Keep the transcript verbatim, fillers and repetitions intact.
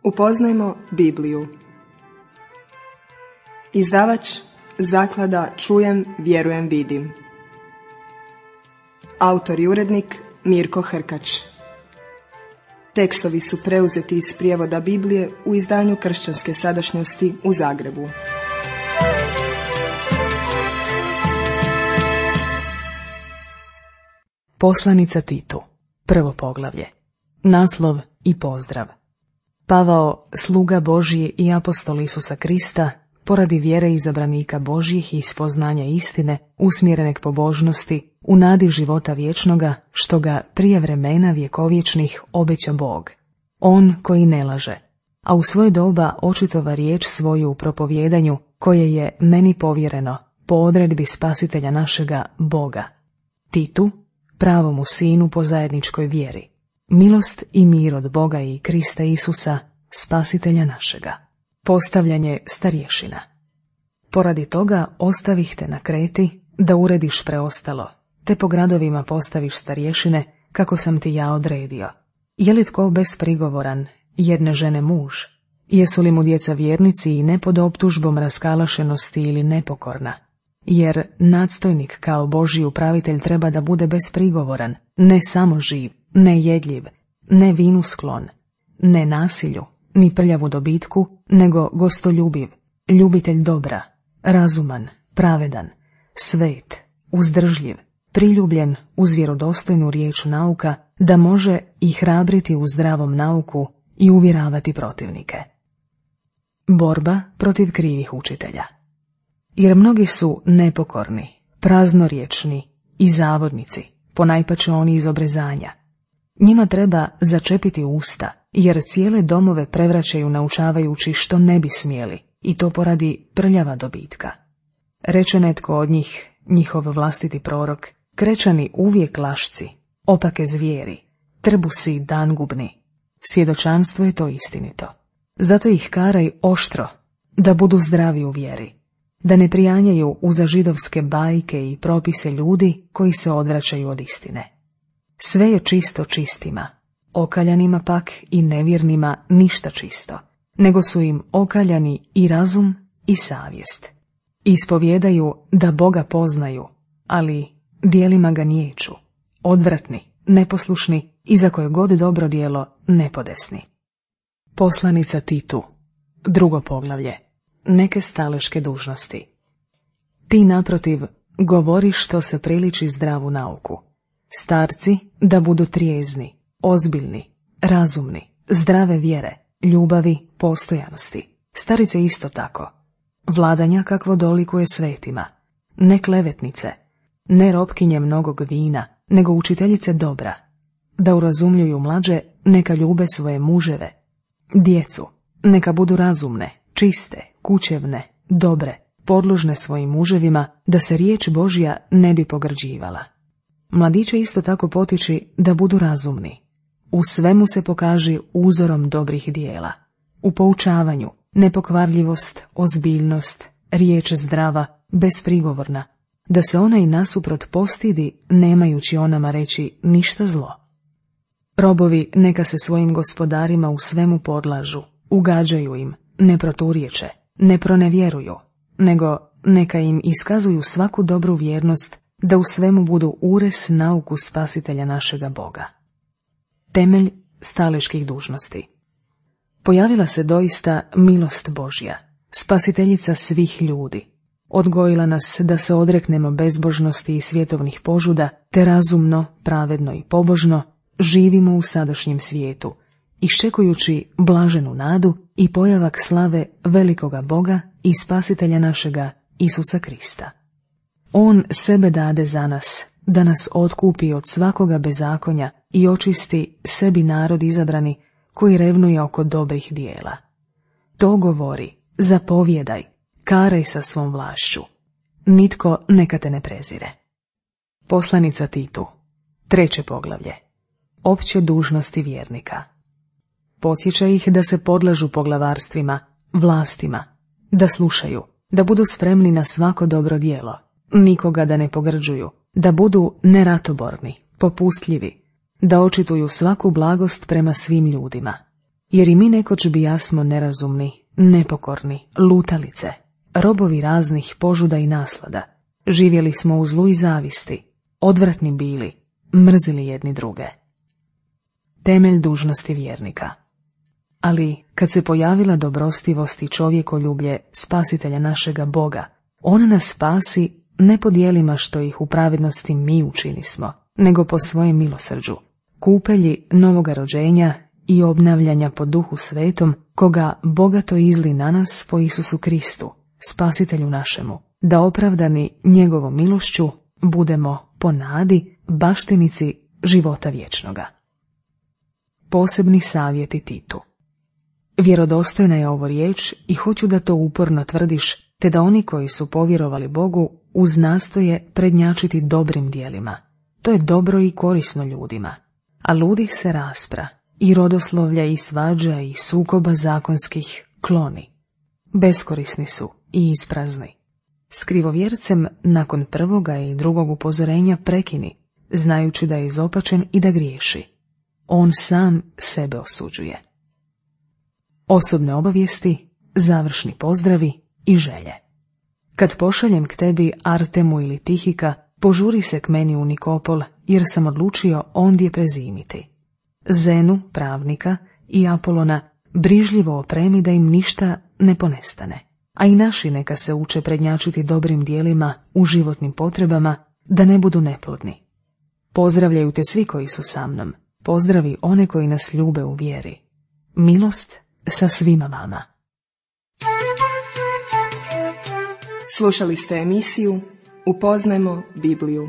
Upoznajmo Bibliju. Izdavač Zaklada Čujem, vjerujem, vidim. Autor i urednik Mirko Hrkač. Tekstovi su preuzeti iz prijevoda Biblije u izdanju Kršćanske sadašnjosti u Zagrebu. Poslanica Titu, prvo poglavlje. Naslov i pozdrav. Pavao, sluga Božji i apostol Isusa Krista, poradi vjere izabranika Božjih i spoznanja istine, usmjerene k pobožnosti, u nadi života vječnoga, što ga prije vremena vjekovječnih obeća Bog. On koji ne laže, a u svoje doba očitova riječ svoju u propovjedanju, koje je meni povjereno, po odredbi Spasitelja našega Boga. Titu, pravomu sinu po zajedničkoj vjeri. Milost i mir od Boga i Krista Isusa, Spasitelja našega. Postavljanje starješina. Poradi toga ostavih te na Kreti, da urediš preostalo, te po gradovima postaviš starješine, kako sam ti ja odredio. Je li tko besprigovoran, jedne žene muž? Jesu li mu djeca vjernici i ne pod optužbom raskalašenosti ili nepokorna? Jer nadstojnik kao Božji upravitelj treba da bude besprigovoran, ne samo živ, ne jedljiv, ne vinu sklon, ne nasilju, ni prljavu dobitku, nego gostoljubiv, ljubitelj dobra, razuman, pravedan, svet, uzdržljiv, priljubljen uz vjerodostojnu riječ nauka, da može i hrabriti u zdravom nauku i uvjeravati protivnike. Borba protiv krivih učitelja. Jer mnogi su nepokorni, praznorječni i zavodnici, ponajpače oni iz obrezanja. Njima treba začepiti usta, jer cijele domove prevraćaju naučavajući što ne bi smjeli, i to poradi prljava dobitka. Reče netko od njih, njihov vlastiti prorok, krečani uvijek lašci, opake zvijeri, trbusi dangubni. Svjedočanstvo je to istinito. Zato ih karaj oštro, da budu zdravi u vjeri, da ne prijanjaju uza židovske bajke i propise ljudi koji se odvraćaju od istine. Sve je čisto čistima, okaljanima pak i nevjernima ništa čisto, nego su im okaljani i razum i savjest. Ispovjedaju da Boga poznaju, ali dijelima ga niječu, odvratni, neposlušni i za koje god dobro djelo nepodesni. Poslanica Titu, drugo poglavlje. Neke staleške dužnosti. Ti naprotiv govori što se priliči zdravu nauku. Starci da budu trijezni, ozbiljni, razumni, zdrave vjere, ljubavi, postojanosti. Starice isto tako. Vladanja kakvo dolikuje svetima. Ne klevetnice, ne ropkinje mnogog vina, nego učiteljice dobra. Da urazumljuju mlađe, neka ljube svoje muževe. Djecu, neka budu razumne, čiste, kućevne, dobre, podložne svojim muževima, da se riječ Božja ne bi pogrđivala. Mladiće isto tako potiči da budu razumni. U svemu se pokaži uzorom dobrih dijela. U poučavanju, nepokvarljivost, ozbiljnost, riječ zdrava, besprigovorna, da se ona i nasuprot postidi, nemajući o nama reći ništa zlo. Robovi neka se svojim gospodarima u svemu podlažu, ugađaju im, ne proturječe, ne pronevjeruju, nego neka im iskazuju svaku dobru vjernost, da u svemu budu ures nauku Spasitelja našega Boga. Temelj staleških dužnosti. Pojavila se doista milost Božja, spasiteljica svih ljudi. Odgojila nas da se odreknemo bezbožnosti i svjetovnih požuda, te razumno, pravedno i pobožno živimo u sadašnjem svijetu, iščekujući blaženu nadu i pojavak slave velikoga Boga i Spasitelja našega Isusa Krista. On sebe dade za nas, da nas otkupi od svakoga bezakonja i očisti sebi narod izabrani, koji revnuje oko dobrih dijela. To govori, zapovjedaj, karaj sa svom vlašću. Nitko neka te ne prezire. Poslanica Titu, treće poglavlje. Opće dužnosti vjernika. Podsjeća ih da se podlažu poglavarstvima, vlastima, da slušaju, da budu spremni na svako dobro djelo, nikoga da ne pogrđuju, da budu neratoborni, popustljivi, da očituju svaku blagost prema svim ljudima. jer i mi nekoć bijasmo nerazumni, nepokorni, lutalice, robovi raznih požuda i naslada. Živjeli smo u zlu i zavisti, odvratni bili, mrzili jedni druge. Temelj dužnosti vjernika. Ali kad se pojavila dobrostivost i čovjekoljublje spasitelja našega Boga, on nas spasi ne po djelima što ih u pravednosti mi učinismo, nego po svojem milosrđu, kupelji novoga rođenja i obnavljanja po Duhu Svetom, koga bogato izli na nas po Isusu Kristu, spasitelju našemu, da opravdani njegovom milošću budemo po nadi baštinici života vječnoga. Posebni savjeti Titu. Vjerodostojna je ovo riječ i hoću da to uporno tvrdiš, te da oni koji su povjerovali Bogu uz nastoje prednjačiti dobrim dijelima. To je dobro i korisno ljudima. A ludih se raspra, i rodoslovlja i svađa i sukoba zakonskih kloni. Beskorisni su i isprazni. S krivovjercem nakon prvoga i drugog upozorenja prekini, znajući da je izopačen i da griješi. On sam sebe osuđuje. Osobne obavijesti, završni pozdravi i želje. Kad pošaljem k tebi Artemu ili Tihika, požuri se k meni u Nikopol, jer sam odlučio ondje prezimiti. Zenu, pravnika, i Apolona brižljivo opremi da im ništa ne ponestane, a i naši neka se uče prednjačiti dobrim dijelima u životnim potrebama, da ne budu neplodni. Pozdravljaju te svi koji su sa mnom, pozdravi one koji nas ljube u vjeri. Milost sa svima vama. Slušali ste emisiju Upoznajmo Bibliju.